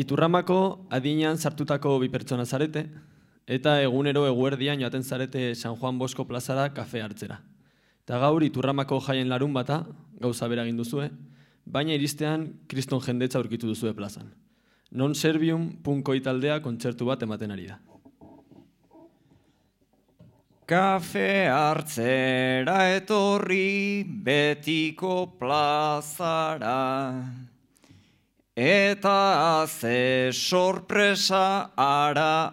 Iturramako adinean sartutako bi pertsona zarete, eta egunero eguerdian joaten zarete San Juan Bosko plazara kafe hartzera. Eta gaur Iturramako jaien larun bata, gauza bera egin duzue, baina iristean kriston jendetza aurkitu duzue plazan. Non Servium punkoi taldea kontzertu bat ematen ari da. Kafe hartzera etorri betiko plazara, eta ze sorpresa ara.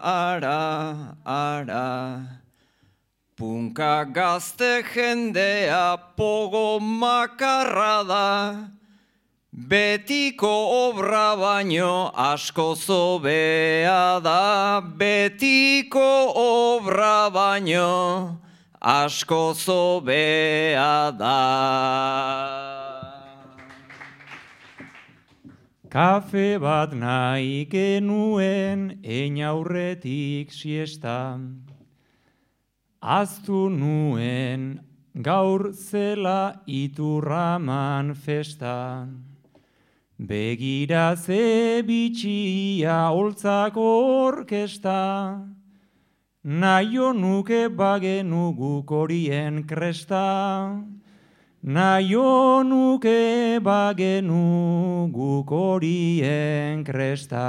Punka gazte jendea pogo makarra da, betiko obra baino asko zobea da, betiko obra baino asko zobea da. Kafe bat nahi genuen einaurretik siesta, aztu nuen gaur zela Iturraman festa. Begira ze bitxia holtzako orkesta, naio nuke bagenu guk horien kresta. Naio nuke bagenu guk horien kresta.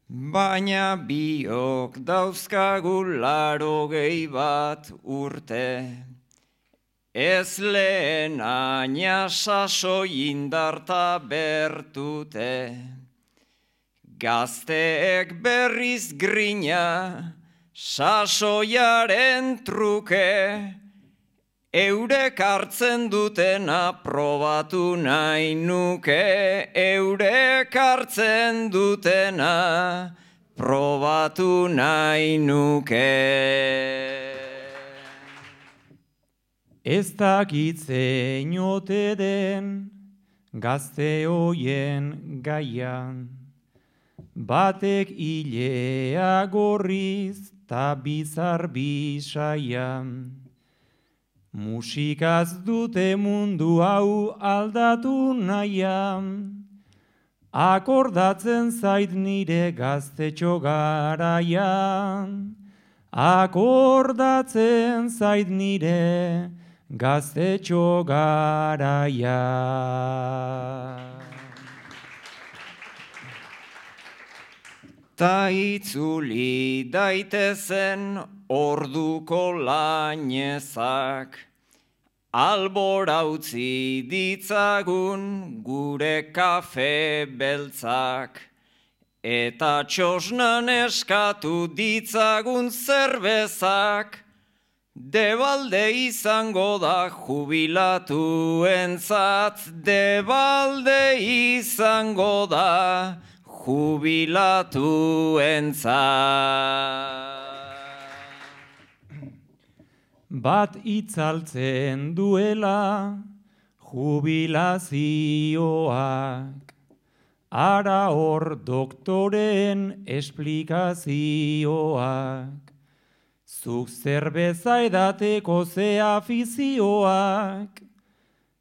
Baina biok dauzkagu 80 bat urte, ez lehen aina sasoi indarta bertute. Gazteek berriz grina, sasoiaren truke, eurek hartzen dutena probatu nahi nuke, eurek hartzen dutena probatu nahi nuke. Ez dakit zein ote den gazte hoien gaian, batek hilea gorriz ta bizar bisaian. Musikaz dute mundu hau aldatu nahian, akordatzen zait nire gaztetxo garaian. Akordatzen zait nire gaztetxo garaian. Ta itzuli daitezen orduko lainezak, albora utzi ditzagun gure kafe beltzak, eta txosnan eskatu ditzagun zerbezak, debalde izango da jubilatuentzat, debalde izango da jubilatuentzat. Bat itzaltzen duela jubilazioak, ara hor doktoren esplikazioak. Zuk zerbeza edateko ze afizioak,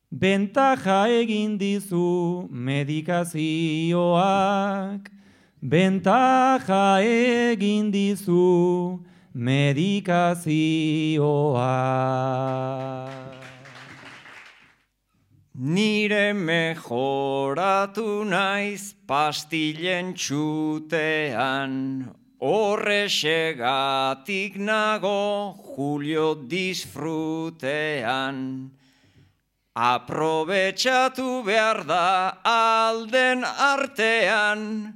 bentaja egin dizu medikazioak, bentaja egin dizu medikazioak. Nire mejoratu naiz pastillen txutean, horrexegatik nago Julio disfrutean. Aprobetxatu behar da alden artean,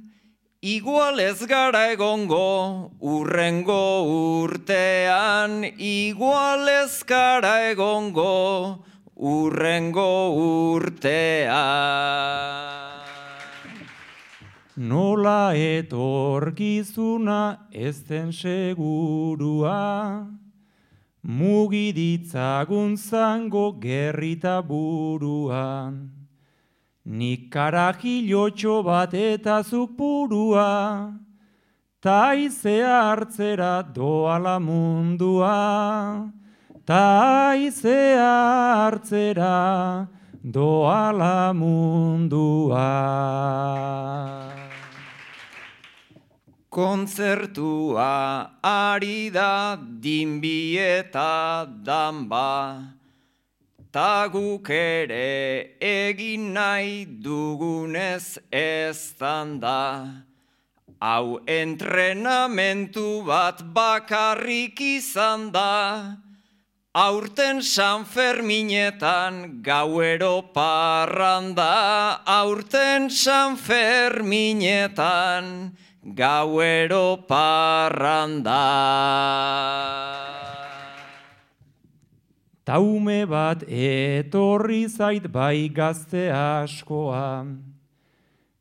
igual ez gara egongo urrengo urtean, igual ez gara egongo urrengo urtean. Nola etorkizuna ez den segurua, mugiditzagun zango gerrita buruan. Nik karajilotxo bat eta zuk purua, taizea hartzera doala mundua, taizea hartzera doala mundua. Kontzertua ari da dinbi eta danba, ta guk ere egin nahi dugunez eztan da. Hau entrenamentu bat bakarrik izan da, aurten San Ferminetan gauero parranda, aurten San Ferminetan gauero parranda. Taume bat etorri zait bai gazte askoa,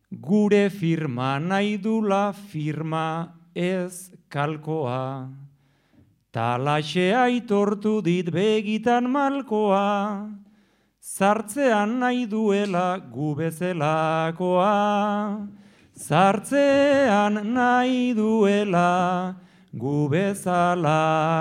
gure firma nahi dula firma ez kalkoa. Talaxe aitortu dit begitan malkoa, zartzean nahi duela gu bezelakoa. Zartzean nahi duela gu bezalakoa.